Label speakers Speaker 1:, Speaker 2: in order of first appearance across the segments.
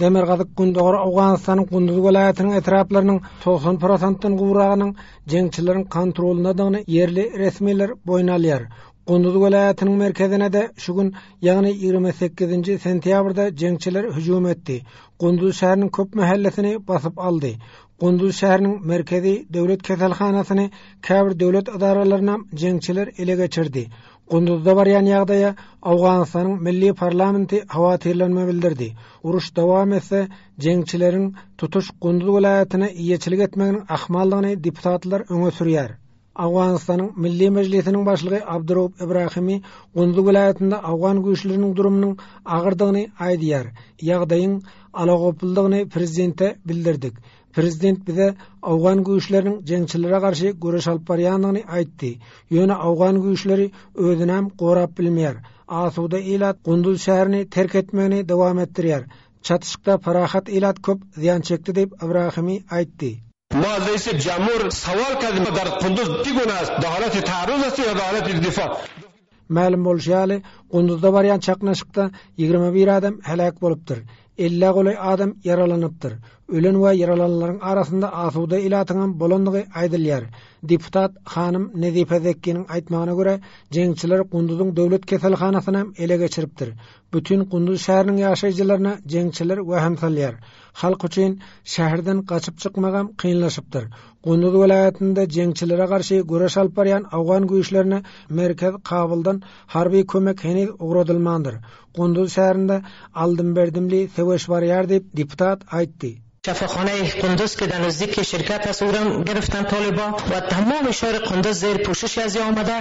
Speaker 1: Demirgazyk-Gündogar Owganystanyň Gunduz welaýatynyň etraplarynyň 90 prosentden gowragynyň jeňçileriň kontrolyndadygyny ýerli resmiler boýun alýar. Gunduz welaýatynyň merkezine-de şu gün, ýagny 28-nji sentýabrda jeňçiler hüjüm etdi. Gunduz şäheriniň köp mähellesini basyp aldy. Gunduz şäheriniň merkezi döwlet keselhanasyny, käbir döwlet edaralarynam jeňçiler ele geçirdi. Gunduzda barýan ýagdaýa Owganystanyň milli parlamenti howatyrlanma bildirdi. Uruş dowam etse, jeňçileriň tutuş Gunduz welaýatyna eýeçilik etmeginiň ahmaldygyny deputatlar öňe sürýär. Owganystanyň Milli Mejlisiniň başlygy Abduraup Ibrahimi Gunduz welaýatynda owgan güýçleriniň durumynyň agyrdygyny aýdýar. Ýagdaýyň alagopludygyny prezidente bildirdik. Prezident bize owgan güýçleriniň jeňçilere garşy göreş alyp barýandygyny aýtdy. Ýöne owgan güýçleri özünem gorap bilmeýär. Asuda ilat Gunduz şäherini terk etmegini dowam etdirýär. Çatyşykda parahat ilat köp zyýan çekdi diýip, Ibrahimi aýtdy.
Speaker 2: ما رئیس جمهور سوال کردیم در قندوز چگونه است در حالت تعرض است یا در حالت دفاع
Speaker 1: Mälim bolşy ýaly, Gunduzda barýan çaknyşykda 21 adam heläk bolupdyr, ellä golaý adam ýaralanypdyr. Ölen we ýaralananlaryň arasynda asuda ilatyňam bolandygy aýdylýar. Deputat hanym Nezife Zekkiniň aýtmagyna görä, jeňçiler Gunduzyň döwlet keselhanasynam ele geçiripdir. Bütin Gunduz şäheriniň ýaşaýjylaryna jeňçiler wehim salýar. Halk üçin şäherden gaçyp çykmagam kynlaşypdyr. Gunduz welaýatynda jeňçilere garşy göreş alyp barýan owgan güýçlerine merkez Kabuldan harby kömek heniz ugradylmandyr. Gunduz şäherinde aldym-berdimli söweş barýar diýip, deputat aýtdy.
Speaker 3: شفاخانه قندوز که در نزدیک شرکت است او را گرفتن طالبا و تمام شهر قندوز زیر پوشش ازی آمده.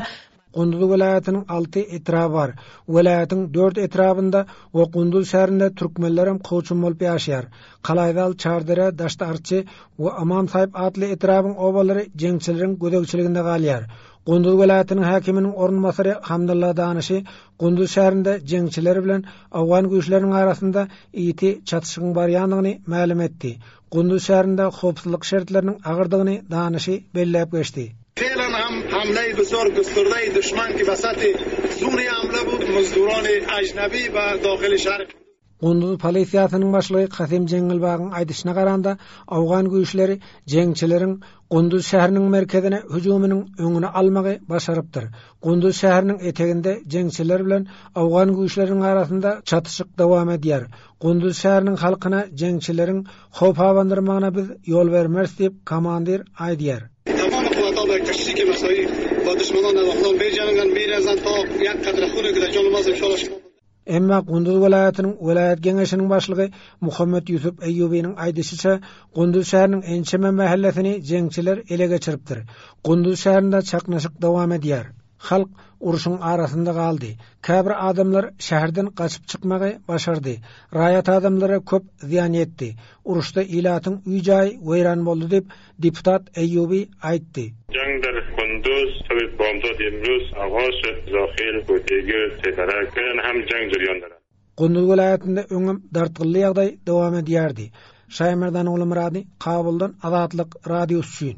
Speaker 1: Gunduz welaýatynyň alty etraby bar. Welaýatyň dört etrabynda we Gunduz şäherinde türkmenlerem kowçum bolup ýaşaýar. Kalaýzal, Çardere, Daşty-Arçy we Ymam Saýyp atly etrabyň obalary jeňçileriň gözegçiliginde galýar. Gunduz welaýatynyň häkiminiň orunbasary Hamdylla Danyşy Gunduz şäherinde jeňçiler bilen owgan güýçleriniň arasynda ýiti çatyşygyň barýandygyny mälim etdi. Gunduz şäherinde howpsuzlyk şertleriniň agyrdygyny Danyşy belläp geçdi.
Speaker 4: فعلا هم حمله بسیار گسترده دشمن که به سطح زون حمله بود مزدوران اجنبی به داخل شهر
Speaker 1: Gunduz polisiýasynyň başlygy Kasym Jeňňelbagyň aýdyşyna garanda, owgan güýçleri jeňçileriň Gunduz şäheriniň merkezine hüjüminiň öňüni almagy başarypdyr. Gunduz şäheriniň eteginde jeňçiler bilen owgan güýçleriniň arasynda çatyşyk dowam edýär. Gunduz şäheriniň halkyna jeňçileriň howp abandyrmagyna biz ýol bermeris diýip, komandir aýdýar. Emma Gunduz welaýatynyň welaýat geňeşiniň başlygy Muhammet Ýusup Eýýubynyň aýdyşyça, Gunduz şäheriniň ençeme mähellesini jeňçiler ele geçiripdir. Gunduz şäherinde çaknyşyk dowam edýär. Halk urşuň arasynda galdy. Käbir adamlar şäherden gaçyp çykmagy başardy. Raýat adamlara köp zyýan ýetdi. Uruşda ilatyň öý-jaýy weýran boldy diýip, deputat Eýýuby aýtdy.
Speaker 5: جنگ در قندوز صبح بامداد امروز آغاز شد زاخیل کوتیگل تیترک فعلا هم جنگ جریان دارد.
Speaker 1: Gunduz welaýatynda öňem dartgynly ýagdaý dowam edýärdi. Şaýmerdan Ogulmyrady, Kabuldan Azatlyk Radiosy üçin.